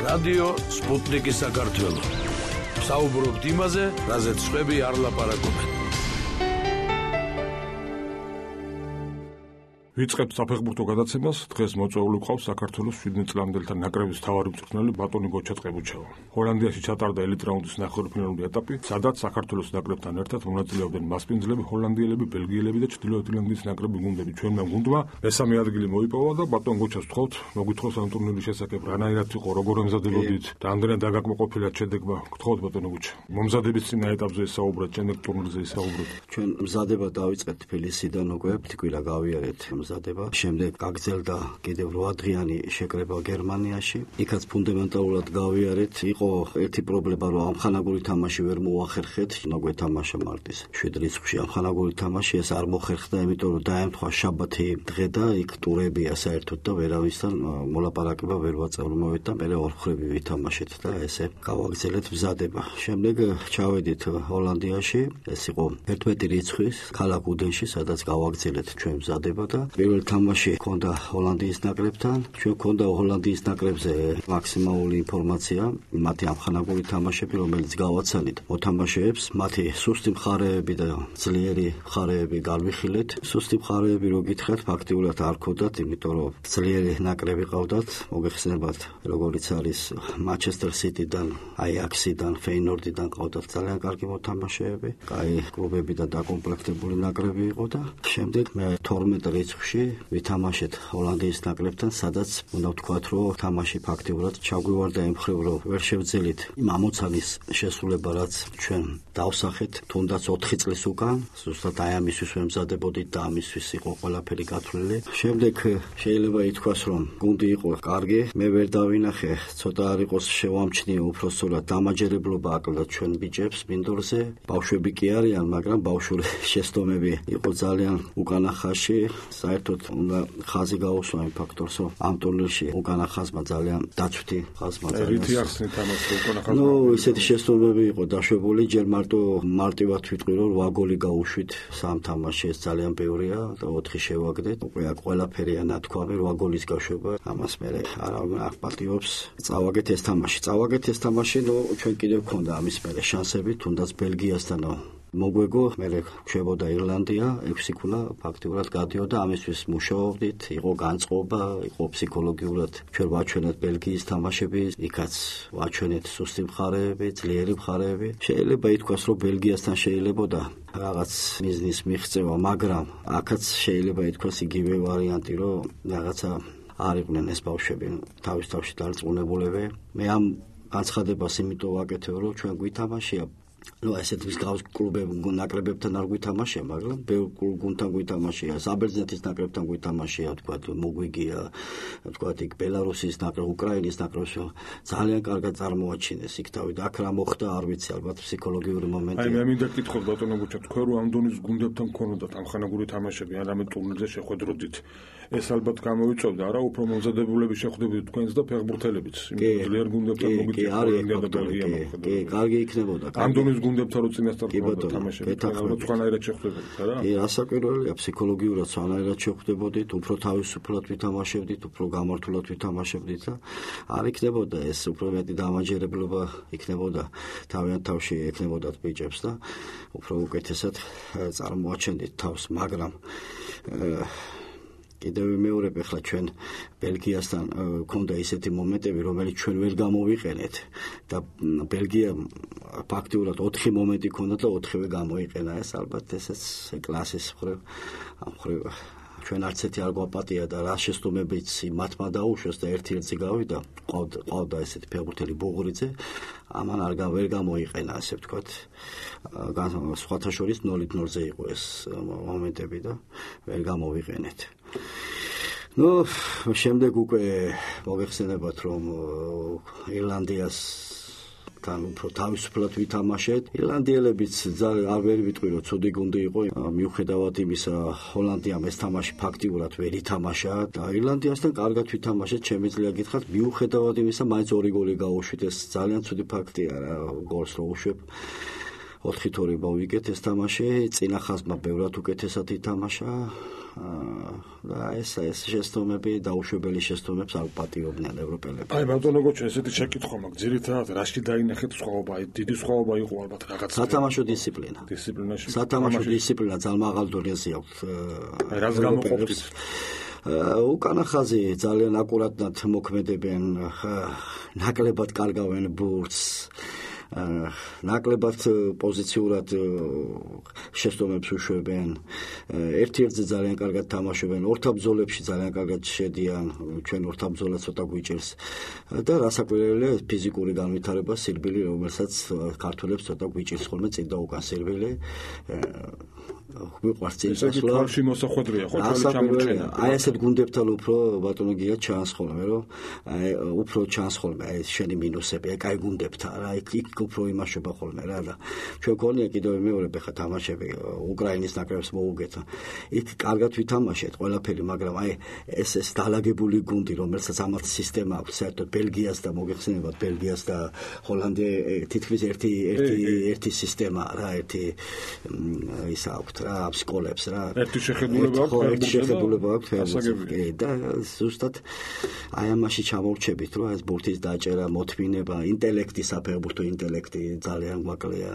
რადიო სპუტნიკი საქართველო. საუბრობთ იმაზე, რაზეც სხვები არ ლაპარაკობენ. ვიწყებთ საფეხბურთო გადაცემას. დღეს მოწვეული ყავს საქართველოს 17 წლამდელთა ნაკრების მთავარი მწვრთნელი ბატონი გოჩა წყებუჩევა. ჰოლანდიაში ჩატარდა ელიტ რაუნდის ნახევარფინალური ეტაპი, სადაც საქართველოს ნაკრებთან ერთად მონაწილეობდნენ მასპინძლები, ჰოლანდიელები, ბელგიელები და ჩრდილოეთ ირლანდიის ნაკრების გუნდები. ჩვენმა გუნდმა მესამე ადგილი მოიპოვა და ბატონ გოჩას ვთხოვთ, მოგვითხროს ამ ტურნირის შესახებ, რანაირად იყო, როგორ ემზადებოდით და ამდენად დაგაკმაყოფილეთ შედეგმა. გთხოვთ ბატონო გოჩა. მომზადების წინა ეტაპზე ისაუბრეთ, შემდეგ ტურნირზე ისაუბრეთ. ჩვენ მზადება დავიწყეთ თბილისიდან უკვე, თკვილა გავიარეთ მზადება. შემდეგ გაგრძელდა კიდევ 8 დღიანი შეკრება გერმანიაში. იქაც ფუნდამენტალურად გავიარეთ. იყო ერთი პრობლემა, რომ ამხანაგური თამაში ვერ მოახერხეთ, მოგვეთამაშა მარტის 7 რიცხვში ამხანაგური თამაში, ეს არ მოხერხდა, იმიტომ რომ დაემთხვა შაბათი დღე და იქ ტურებია საერთოდ და ვერავისთან მოლაპარაკება ვერ ვაწარმოეთ და მე ორ ხრები ვითამაშეთ და ესე გავაგრძელეთ მზადება. შემდეგ ჩავედით ჰოლანდიაში, ეს იყო 11 რიცხვის ქალაქ უდენში, სადაც გავაგრძელეთ ჩვენ მზადება და პირველ თამაში ჰქონდა ჰოლანდიის ნაკრებთან. ჩვენ ჰქონდა ჰოლანდიის ნაკრებზე მაქსიმალური ინფორმაცია, მათი ამხანაგური თამაშები, რომელიც გავაცანით მოთამაშეებს, მათი სუსტი მხარეები და ძლიერი მხარეები გავიხილეთ. სუსტი მხარეები რო გითხრათ, ფაქტიურად არ ქონდათ, იმიტომ რომ ძლიერი ნაკრები ყავდათ, მოგეხსენებათ, როგორიც არის მანჩესტერ სიტიდან, აიაქსიდან, ფეინორდიდან ყავდათ ძალიან კარგი მოთამაშეები, კაი კლუბები და დაკომპლექტებული ნაკრები იყო და შემდეგ მე 12 რიცხვში ვითამაშეთ ჰოლანდიის ნაკრებთან, სადაც უნდა ვთქვათ, რომ თამაში ფაქტიურად ჩაგვივარდა იმ მხრივ, რომ ვერ შევძელით იმ ამოცანის შესრულება, რაც ჩვენ დავსახეთ, თუნდაც 4 წლის უკან, ზუსტად აი ამისთვის ვემზადებოდით და ამისთვის იყო ყველაფერი გათვლილი. შემდეგ შეიძლება ითქვას, რომ გუნდი იყო კარგი, მე ვერ დავინახე, ცოტა არ იყოს შევამჩნიე უბრალოდ დამაჯერებლობა აკლდათ ჩვენ ბიჭებს მინდორზე. ბავშვები კი არიან, მაგრამ ბავშვური შეცდომები იყო ძალიან უკანა ხაზში. საერთოდ უნდა ხაზი გაუსვა იმ ფაქტორს, რომ ამ ტურნირში უკანა ხაზმა ძალიან დაცვითი ხაზმა ძალიან. რითი ახსნით ამას უკანა ხაზმა? ნუ ისეთი შეცდომები იყო დაშვებული, ჯერ მარტივად ვიტყვი, რომ 8 გოლი გავუშვით სამ თამაშში, ეს ძალიან ბევრია და 4 შევაგდეთ. უკვე აქ ყველაფერია ნათქვამი, 8 გოლის გაშვება, ამას მე არავინ არ პატიობს. წავაგეთ ეს თამაში, ნუ ჩვენ კიდევ გქონდა ამის მერე შანსები, თუნდაც ბელგიასთან მოგვეგო, მე ხვდებოდა ირლანდია, 6 ქულა ფაქტიურად გადიოდა, ამისთვის მუშაობდით, იყო განწყობა, იყო ფსიქოლოგიურად ჩვენ ვაჩვენეთ ბელგიის თამაშები, იქაც ვაჩვენეთ სუსტი მხარეები, ძლიერი მხარეები. შეიძლება ითქვას, რომ ბელგიასთან შეიძლებოდა რაღაც მიზნის მიღწევა, მაგრამ აქაც შეიძლება ითქვას იგივე ვარიანტი, რომ რაღაცა არ იყვნენ ეს ბავშვები თავის-თავში დარწმუნებულები. მე ამ განცხადებას იმიტომ ვაკეთებ, რომ ჩვენ გვითამაშია ესეთ მსგავს ნაკრებებთან არ გვითამაშია, მაგრამ ბევრ გუნდთან გვითამაშია, საბერძნეთის ნაკრებთან გვითამაშია, თქვათ, მოგვიგია, თქვათ, იქ ბელარუსის ნაკრები, უკრაინის ნაკრებს ძალიან კარგად წარმოაჩინეს იქ თავი და აქ რა მოხდა, არ ვიცი, ალბათ ფსიქოლოგიური მომენტი. აი მე მინდა გითხოთ ბატონო გოჩა, თქვენ რომ ამ დონის გუნდებთან გქონოდათ ამხანაგური თამაშები, ან ამ ტურნირზე შეხვედროდით, ეს ალბათ გამოვიწევდა, არა, უფრო მომზადებულები შეხვდებით თქვენს და ფეხბურთელებიც, ძლიერ გუნდებთან მოგიწევდა. კი, კარგი იქნებოდა. ამ დონის გუნდებთან რო წინასწარ გქონდა თამაშები, სხვანაირად შეხვდებოდით, არა? კი, ასაკურველია, ფსიქოლოგიურად სხვანაირად შეხვდებოდით, უფრო თავისუფლად ვითამაშებდით, უფრო გამართულად ვითამაშებდით და არ იქნებოდა ეს უფრო მეტი დამაჯერებლობა იქნებოდა თავიანთ თავში ექნებოდათ ბიჭებს და უფრო უკეთესად წარმოაჩენდით თავს, მაგრამ კიდევ მეორებ ახლა ჩვენ ბელგიასთან გქონდა ისეთი მომენტები, რომელიც ჩვენ ვერ გამოვიყენეთ და ბელგია ფაქტიურად 4 მომენტი ჰქონდა და 4-ვე გამოიყენა. ეს ალბათ ესეც კლასის მხრივ ამ მხრივ ჩვენ არც ერთი არ გვაპატია და რა შეცდომებიც მათმა დაუშვეს და ერთ-ერთი გავიდა, ყავდა ესეთი ფეხბურთელი ბუღურიძე, ამან ვერ გამოიყენა, ასე ვთქვათ. სხვათა შორის 0-0-ზე იყო ეს მომენტები და ვერ გამოვიყენეთ. ნუ შემდეგ უკვე მოგეხსენებათ, რომ ირლანდიას თან უფრო თავისუფლად ვითამაშეთ. ირლანდიელებიც ძალიან არ ვერ ვიტყვი, რომ ცუდი გუნდი იყო, მიუხედავად იმისა, ჰოლანდიამ ეს თამაში ფაქტიურად ვერ ითამაშა და ირლანდიასთან კარგად ვითამაშეთ, შემიძლია გითხრათ, მიუხედავად იმისა, მაინც 2 გოლი გაუშვით, ეს ძალიან ცუდი ფაქტია რა, გოლს რო უშვებ. 4-2 მოვიგეთ ეს თამაში, წინა ხაზმა ბევრად უკეთესად ითამაშა და ეს შეცდომები დაუშვებელი შეცდომებს არ პატიობდნენ ევროპელები. აი ბატონო გოჩა, ესეთი შეკითხვა მაქვს, ძირითადად რაში დაინახეთ სხვაობა? აი დიდი სხვაობა იყო ალბათ რაღაც. სათამაშო დისციპლინა. დისციპლინაში. სათამაშო დისციპლინა ძალიან მაღალ დონეზე აქვს. აი რას გამოყოფთ? უკანა ხაზი ძალიან აკურატად მოქმედებენ, ნაკლებად კარგავენ ბურთს, ნაკლებად პოზიციურად შეცდომებს უშვებენ, ერთ-ერთზე ძალიან კარგად თამაშობენ, ორთაბრძოლებში ძალიან კარგად შედიან, ჩვენ ორთაბრძოლა ცოტა გვიჭირს და რასაკვირველია ფიზიკური განვითარება, სირბილი, რომელსაც ქართველებს ცოტა გვიჭირს ხოლმე წინ და უკან სირბილი. გვიყვარს წინ წასვლა. თვალში მოსახვედრია ხო თვალი ჩამორჩენა. აი ესეთ გუნდებთან უფრო ბატონო გია ჩანს ხოლმე, რომ აი უფრო ჩანს ხოლმე აი შენი მინუსები, აი კაი გუნდებთან რა, იქ უფრო იმაშობა ხოლმე რა და ჩვენ გქონია კიდევ მეორე ხა თამაშები უკრაინის ნაკრებს მოუგეთა. იქ კარგად ვითამაშეთ ყველაფერი, მაგრამ აი ეს დალაგებული გუნდი, რომელსაც ამათ სისტემა აქვს, საერთოდ ბელგიას და მოგეხსენებათ ბელგიას და ჰოლანდია თითქმის ერთი სისტემა რა, ერთი ისა აქვს რა სკოლებს რა. ერთი შეხედულება აქვს და ზუსტად აი ამაში ჩამორჩებით, რომ ეს ბურთის დაჭერა, მოთმინება, ინტელექტი, საფეხბურთო ინტელექტი ძალიან გვაკლია.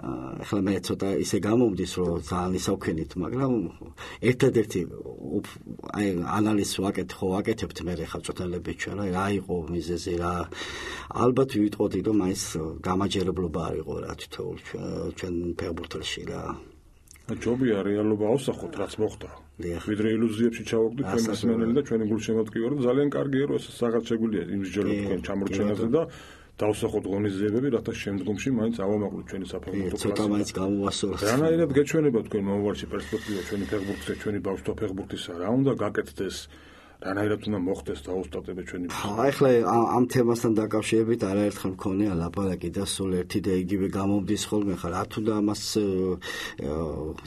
ახლა მე ცოტა ისე გამომდის, რომ ძალიან ისავქენით, მაგრამ ერთადერთი აი ანალიზს ვაკეთებთ მე ხა წოთელები ჩვენ, რა იყო მიზეზი რა. ალბათ ვიტყოდი, რომ მაინც გამაჯერებლობა არ იყო რა თითოეულ ჩვენ ფეხბურთელში რა. ჯობია რეალობა ავსახოთ, რაც მოხდა. ვიდრე ილუზიებში ჩავაგდით ჩვენ მსმენელი და ჩვენი გულშემატკივარი, რომ ძალიან კარგია, რომ ეს რაღაც შეგვიძლია იმსჯელოთ თქვენ ჩამორჩენაზე და დავსახოთ ღონისძიებები, რათა შემდგომში მაინც ავამაყლოთ ჩვენი საფეხბურთო კლასი. ცოტა მაინც გამოვასწოროთ. რანაირად გეჩვენება თქვენ მომავალში პერსპექტივა ჩვენი ფეხბურთისა, ჩვენი ბავშვთა ფეხბურთისა, რა უნდა გაკეთდეს? რანაირად უნდა მოხდეს დაუსტატება ჩვენი. ახლა ამ თემასთან დაკავშირებით არაერთხელ მქონია ლაპარაკი და სულ ერთი და იგივე გამომდის ხოლმე ხა რა თუნდა ამას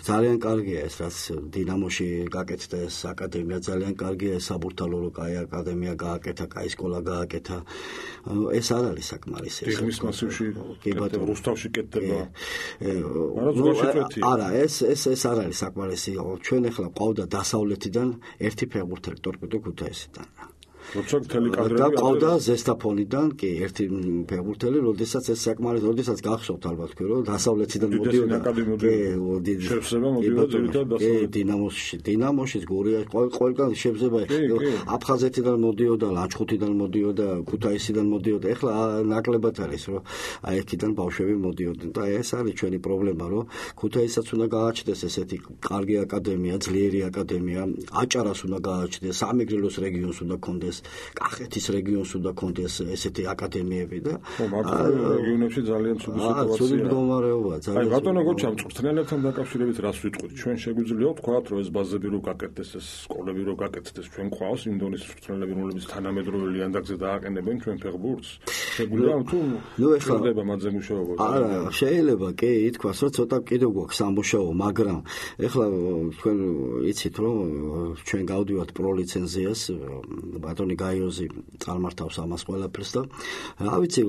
ძალიან კარგია ეს რაც დინამოში გაკეთდა ეს აკადემია, ძალიან კარგია ეს საბურთალო რო კაი აკადემია გააკეთა, კაი სკოლა გააკეთა. ეს არ არის საკმარისი. ფეხბურთის მასივში რუსთავში კეთდება. არა, ეს არ არის საკმარისი. ჩვენ ახლა ყავდა დასავლეთიდან ერთი ფეხბურთელი ტორპედო ქუთაისიდან. როცა მთელი კადრები და ყავდა ზესტაფონიდან კი ერთი ფეხბურთელი, როდესაც ეს საკმარისი, როდესაც გახსოვთ ალბათ თქვენ, რომ დასავლეთიდან მოდიოდა. შევსება მოდიოდა ძირითადად დასავლეთ. დინამოში გურია ყველგან შევსება. აფხაზეთიდან მოდიოდა, ლანჩხუთიდან მოდიოდა, ქუთაისიდან მოდიოდა. ეხლა ნაკლებად არის, რომ აი აქედან ბავშვები მოდიოდნენ და ეს არის ჩვენი პრობლემა, რომ ქუთაისაც უნდა გააჩნდეს ესეთი კარგი აკადემია, ძლიერი აკადემია, აჭარას უნდა გააჩნდეს, სამეგრელოს რეგიონს უნდა კონდეს, კახეთის რეგიონს უნდა კონდეს ესეთი აკადემიები და რეგიონებში ძალიან ცუდი სიტუაცია. ცუდი მდგომარეობა ძალიან. აი ბატონო გოჩა, მწვრთნელებთან დაკავშირებით რას ვიტყვით? ჩვენ შეგვიძლია ვთქვათ, რომ ეს ბაზები რო გაკეთდეს, ეს სკოლები რო გაკეთდეს, ჩვენ ყავს იმ დონის მწვრთნელები, რომლებიც თანამედროვე ლიანდაგზე დააყენებენ ჩვენ ფეხბურთს. შეგვიძლია თუ ხდება მათზე მუშაობა? არა, შეიძლება კი ითქვას, რომ ცოტა კიდევ გვაქვს სამუშაო, მაგრამ ეხლა თქვენ იცით, რომ ჩვენ გავდივართ პროლიცენზიას, ბატონი გაიოზი წარმართავს ამას ყველაფერს და რა ვიცი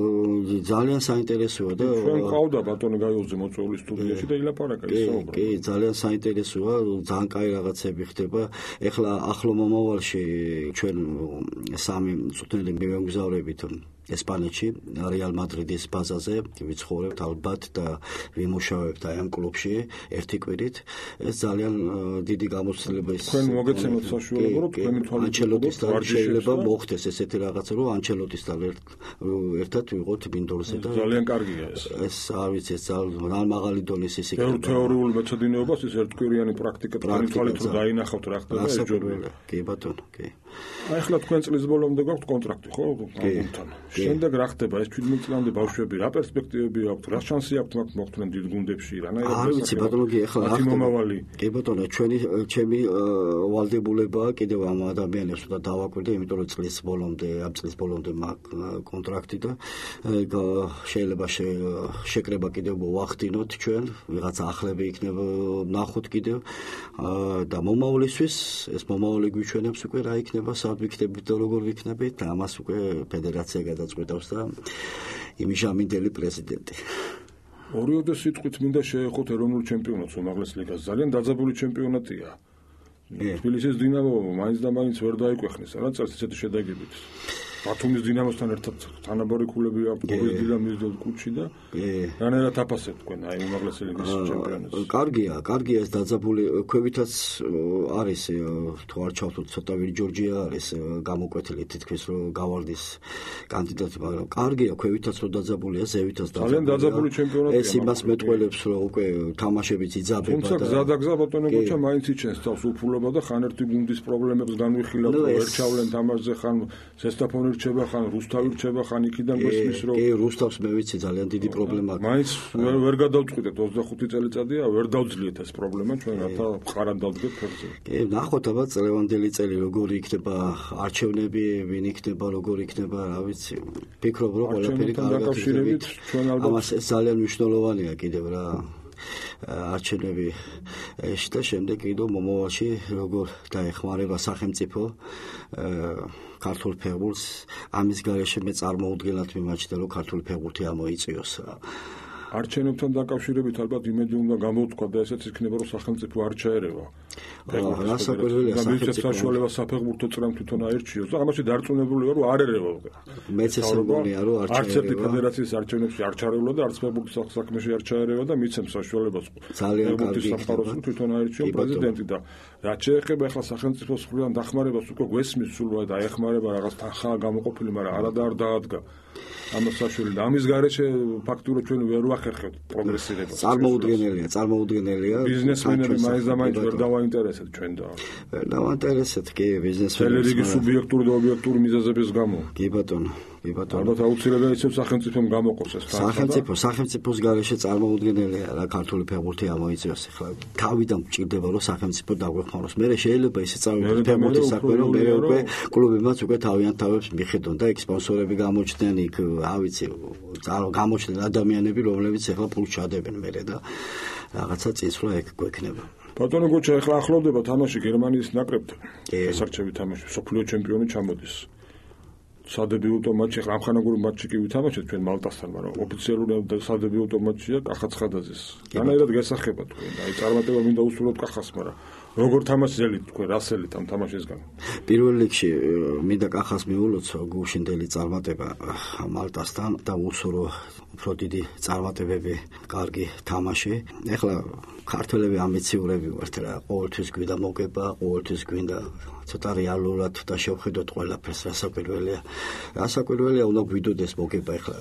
ძალიან საინტერესოა და ჩვენ ყავდა ბატონი გაიოზი მოწვეული სტუდიაში და ილაპარაკა ისაუბრა. კი, ძალიან საინტერესოა, ძალიან კაი რაღაცები ხდება. ეხლა ახლო მომავალში ჩვენ სამი მწვრთნელი მივემგზავრებით ესპანეთში, რეალ მადრიდის ბაზაზე ვიცხოვრებთ ალბათ და ვიმუშავებთ აი ამ კლუბში ერთი კვირით. ეს ძალიან დიდი გამოცდილება ის. თქვენ მოგეცემოთ საშუალება, რომ თქვენი ანჩელოტისთან შეიძლება მოხდეს ესეთი რაღაცა, რომ ანჩელოტისთან ერთად ვიყოთ მინდორზე და ძალიან კარგია ეს. ეს არ ვიცი, ეს ძალიან მაღალი დონის ის იქნება. თეორიულ მეცადინეობას ის ერთკვირიანი პრაქტიკა თქვენი თვალით რომ დაინახავთ რა ხდება ეს ჯობია. კი ბატონო, კი. აი ახლა თქვენ წლის ბოლომდე გაქვთ კონტრაქტი, ხო? გუნდთან. შემდეგ რა ხდება ეს 17 წლამდე ბავშვები, რა პერსპექტივები აქვთ, რა შანსი აქვთ მათ მოხვდნენ დიდ გუნდებში, რანაირად არ ვიცი ბატონო, კი ახლა რა მომავალი. კი ბატონო, ჩემი ვალდებულებაა კიდევ ამ ადამიანებს და დავაკვირდე, იმიტომ რომ ამ წლის ბოლომდე მაქვს კონტრაქტი და შეიძლება შეკრება კიდევ მოვახდინოთ ჩვენ, ვიღაცა ახლები იქნება ნახოთ კიდევ და მომავლისთვის ეს მომავალი გვიჩვენებს უკვე რა იქნება, სად ვიქნებით და როგორ ვიქნებით და ამას უკვე ფედერაცია გადაწყვეტავს და იმჟამინდელი პრეზიდენტი. ორიოდე სიტყვით მინდა შეეხოთ ეროვნულ ჩემპიონატს უმაღლეს ლიგას. ძალიან დაძაბული ჩემპიონატია. თბილისის დინამო მაინც და მაინც ვერ დაიკვეხნის, რა წელს ესეთი შედეგებით. ბათუმის დინამოსთან ერთად თანაბარი ქულები აქვს დინამის კუჩი და რანაირად აფასებთ თქვენ აი უმაღლესი ლიგის ჩემპიონატს. კარგია ეს დაძაბული ქვევითაც არის თუ არ ჩავთვლით ცოტა ვირი ჯორჯია არის გამოკვეთილი თითქმის რომ გავარდის კანდიდატი, მაგრამ კარგია ქვევითაც რომ დაძაბულია, ზევითაც დაძაბულია. ძალიან დაძაბული ჩემპიონატია. ეს იმას მეტყველებს რომ უკვე თამაშებიც იძაბება და თუმცა გზადაგზა ბატონო გოჩა მაინც იჩენს თავს უფულობა და ხან ერთი გუნდის პრობლემებს განვიხილავთ, ვერ ჩავლენ თამაშზე, ხან ზესტაფონი რჩება, ხან რუსთავი რჩება, ხან იქიდან გესმის რომ კი რუსთავს მე ვიცი ძალიან დიდი პრობლემა აქვს. მაინც ვერ გადავწყვიტეთ 25 წელიწადია, ვერ დავძლიეთ ეს პრობლემა ჩვენ რათა ხარად დავდგეთ ფერზე. კი ნახოთ აბა წლევანდელი წელი როგორი იქნება არჩევნები, ვინ იქნება, როგორი იქნება, რა ვიცი. ფიქრობ რომ ყველაფერი კარგად იქნება. ამას ეს ძალიან მნიშვნელოვანია კიდევ რა. არჩევნები და შემდეგ კიდევ მომავალში როგორ დაეხმარება სახელმწიფო ქართულ ფეხბურთს, ამის გარეშე მე წარმოუდგენლად მიმაჩნია რომ ქართული ფეხბურთი ამოიწიოს. არჩევნებთან დაკავშირებით ალბათ იმედი უნდა გამოვთქვა და ესეც იქნება რომ სახელმწიფო არ ჩაერევა. რა საკვირველია სახელმწიფო საშუალება საფეხბურთო წრემ თვითონ აირჩიოს და ამაში დარწმუნებულია რომ არ ერევა. მეც ესე მგონია რომ არ ჩაერევა. არც ერთი ფედერაციის არჩევნებში არ ჩაერევა და არც ფეხბურთის საქმეში არ ჩაერევა და მიცემს საშუალებას. ძალიან კარგი საფეხბურთის თვითონ აირჩიოს პრეზიდენტი და რაც შეეხება ახლა სახელმწიფოს მხრიდან დახმარებას უკვე გვესმის სულ დაეხმარება რაღაც თანხა გამოყოფილი, მაგრამ არადა არ დაადგა. ამას საშუალო და ამის გარეშე ფაქტურად ჩვენ ვერ ვახერხებთ პროგრესირებას. წარმოუდგენელია. ბიზნესმენები მაინც და მაინც ვერ დავაინტერესეთ ჩვენ და ვერ დავაინტერესეთ კი ბიზნესმენები. რელიგიის სუბიექტური და ობიექტური მიზეზების გამო. კი ბატონო. ალბათ აუცილებლად ისევ სახელმწიფომ გამოყოს ეს თანხა. სახელმწიფოს გარეშე წარმოუდგენელია რა ქართული ფეხბურთი ამოიწიოს ახლა. თავიდან გჭირდება რომ სახელმწიფო დაგვეხმაროს. მე შეიძლება ისე წავიდეთ ფეხბურთის საქმე რომ მე უკვე კლუბებმაც უკვე თავიანთ თავებს მიხედონ და იქ სპონსორები გამოჩნდნენ, იქ რა ვიცი, გამოჩნდნენ ადამიანები, რომლებიც ახლა ფულს ჩადებენ მერე და რაღაცა წინსვლა ეგ გვექნება. ბატონო გოჩა ახლა ახლოვდება თამაში გერმანიის ნაკრებთან. ესარჩევი თამაში, სოფლიო ჩემპიონი ჩამოდის. სადებიუტო მატჩი ახლა ამხანაგური მატჩი კი ვითამაშეთ ჩვენ მალტასთან, მაგრამ ოფიციალური სადებიუტო მატჩია კახა ცხადაძის. რანაირად გასახება თქვენ? აი წარმატება მინდა უსურვოთ კახას, მაგრამ როგორ თამაშელით თქვენ, რასელით ამ თამაშისგან? პირველ რიგში მინდა კახას მიულოცო გუშინდელი წარმატება მალტასთან და უსურო უფრო დიდი წარმატებები, კარგი თამაში. ახლა ქართველები ამბიციურები ვართ რა, ყოველთვის გვინდა მოგება, ყოველთვის გვინდა ცოტა რეალურად და შევხედოთ ყველაფერს, რასაკვირველია უნდა გვიდოდეს მოგება. ახლა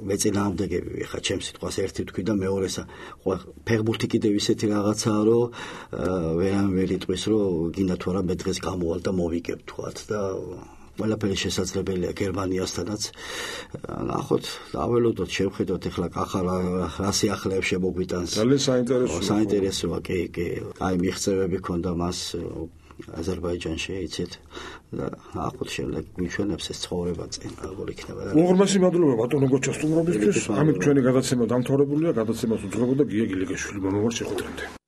მეწინააღმდეგები ახლა ჩემს სიტყვას ერთი თქვი და მეორესა ფეხბურთი კიდევ ისეთი რაღაცაა რომ ვერ იტყვის რომ გინდა თუ არა მე დღეს გამოვალ და მოვიგებ თქვათ და ყველაფერი შესაძლებელია გერმანიასთანაც. ნახოთ, დაველოდოთ, შევხედოთ ახლა კახა რა სიახლეებს შემოგვიტანს. ძალიან საინტერესოა, კი. აი მიღწევები ქონდა მას აზერბაიჯანში, იცით? და ნახოთ შემდეგ გვიჩვენებს ეს ცხოვრება წინ როგორ იქნება. უღრმესი მადლობა ბატონო გოჩა სტუმრობისთვის. ამით ჩვენი გადაცემა დამთავრებულია. გადაცემას უძღვებოდა გია გილიგაშვილი. მომავალ შეხვედრამდე.